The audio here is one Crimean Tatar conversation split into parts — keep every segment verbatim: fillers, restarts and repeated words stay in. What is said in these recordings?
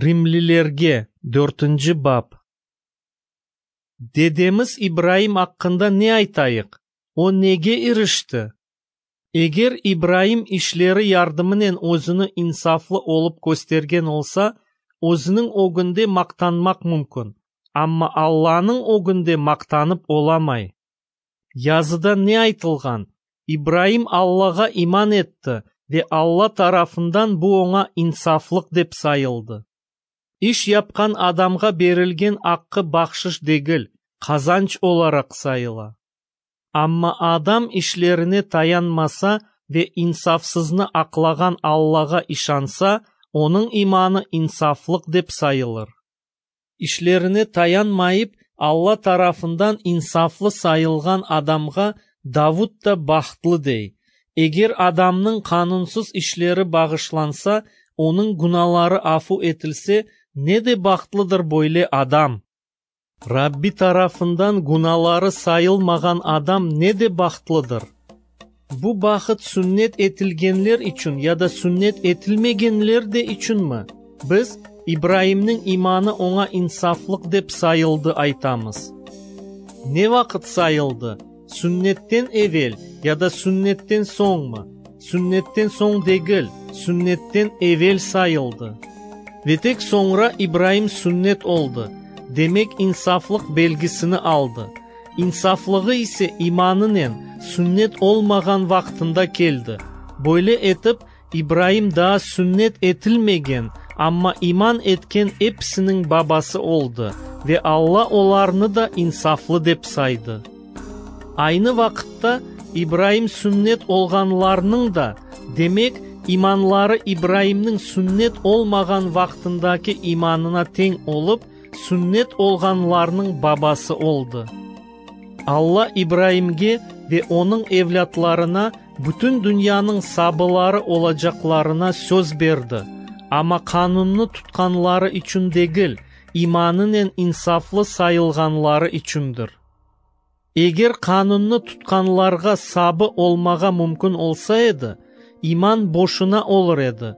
Rimlilerge, dörtünci bap. Dedemiz İbraim aqqında ne aytayıq? O nege irişti? Eger İbraim işleri yardımınen özüni insaflı olıp köstergen olsa, özüniñ ögünde maqtanmaq mümkün, amma Allanıñ ögünde maqtanıp olamay. Yazıda ne aytılğan? İbraim Allağa iman etti, ve Alla tarafından bu oña insaflıq dep sayıldı. İş yapqan adamğa berilgen aqqı bahşış degil, qazanç olaraq sayıla. Amma adam işlerine tayanmasa ve insafsıznı aqlağan Allağa işansa, onıñ imanı insaflıq dep sayılır. İşlerine tayanmayıp, Alla tarafından insaflı sayılğan adamğa Davud da bahtlı dey: Eger adamnıñ qanunsız işleri bağışlansa, onıñ günaları afu etilse, ne de bahtlıdır böyle adam! Rabbi tarafından günaları sayılmağan adam ne de bahtlıdır! Bu bahıt sünnet etilgenler içün ya da sünnet etilmegenler de içünmi? Biz, İbraimniñ imanı oña insaflıq dep sayıldı aytamız. Ne vaqıt sayıldı? Sünnetten evel ya da sünnetten soñmı? Sünnetten soñ degil, sünnetten evel sayıldı. Ve tek soñra İbraim sünnet oldı, demek insaflıq belgisini aldı. İnsaflığı ise imanınen, sünnet olmağan vaqtında keldi. Böyle etip, İbraim daa sünnet etilmegen, amma iman etken episiniñ babası oldı, ve Alla olarnı da insaflı dep saydı. Aynı vaqıtta İbraim sünnet olğanlarnıñ da, demek, imanları İbraimniñ sünnet olmağan vaqtındaki imanına teñ olıp, sünnet olğanlarnıñ babası oldı. Alla İbraimge ve onıñ evlâtlarına bütün dünyanıñ sabıları olacaqlarına söz berdi, amma qanunnı tutqanları içün degil, imanınen insaflı sayılğanları içündir. Eger qanunnı tutqanlarğa sabı olmağa mümkün olsa edi, iman boşuna olur edi,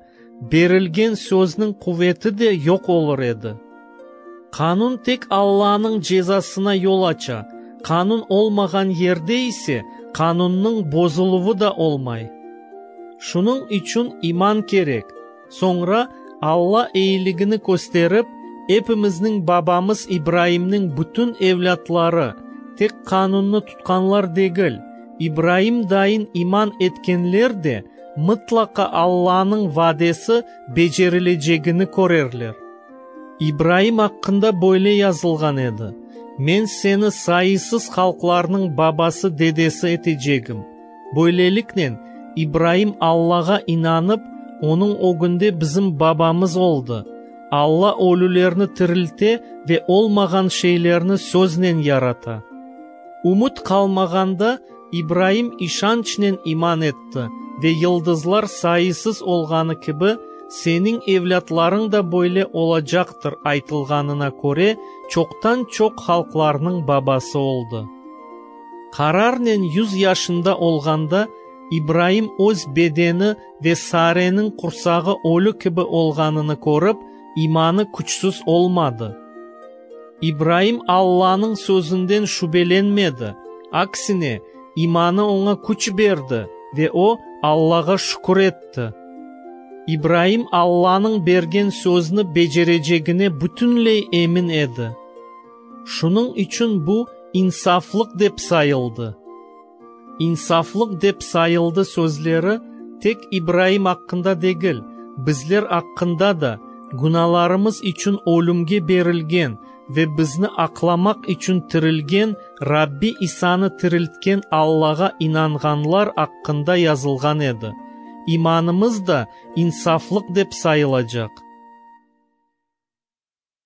berilgen sözniñ quveti de yoq olur edi. Qanun tek Allanıñ cezasına yol aça, qanun olmağan yerde ise qanunnıñ bozuluvı da olmay. Şunıñ içün iman kerek. Soñra Alla eyiligini kösterip, epimizniñ babamız İbraimniñ bütün evlâtları, tek qanunnı tutqanlar degil, İbraim dayın iman etkenler de mıtlaqa Allanıñ vadesi becerilecegini körerler. İbraim aqqında böyle yazılğan edi: Men seni sayısız halqlarnıñ babası, dedesi etecegim. Böyleliknen, İbraim Allağa inanıp, onıñ ögünde bizim babamız oldı. Alla ölülerni tirilte ve olmağan şeylerni söznen yarata. Ümüt qalmağanda İbraim işançnen iman etti ve yıldızlar sayısız olğanı kibi, seniñ evlâtlarıñ da böyle olacaqtır aytılğanına köre, çoqtan-çoq halqlarnıñ babası oldı. Qararnen yüz yaşında olğanda, İbraim öz bedeni ve Sareniñ qursağı ölü kibi olğanını körip, imanı küçsüz olmadı. İbraim Allanıñ sözünden şübelenmedi, aksine, imanı oña küç berdi ve o, Allağa şükür etti. İbraim Allanıñ bergen sözüni becerecegine bütünley emin edi. Şunıñ içün bu insaflıq dep sayıldı. İnsaflıq dep sayıldı sözleri tek İbraim aqqında degil, bizler aqqında da, günalarımız içün ölümge berilgen ve bizni aqlamaq içün tirilgen Rabbi İsanı tiriltken Allağa inanğanlar aqqında yazılğan edi. İmanımız da insaflıq dep sayılacaq.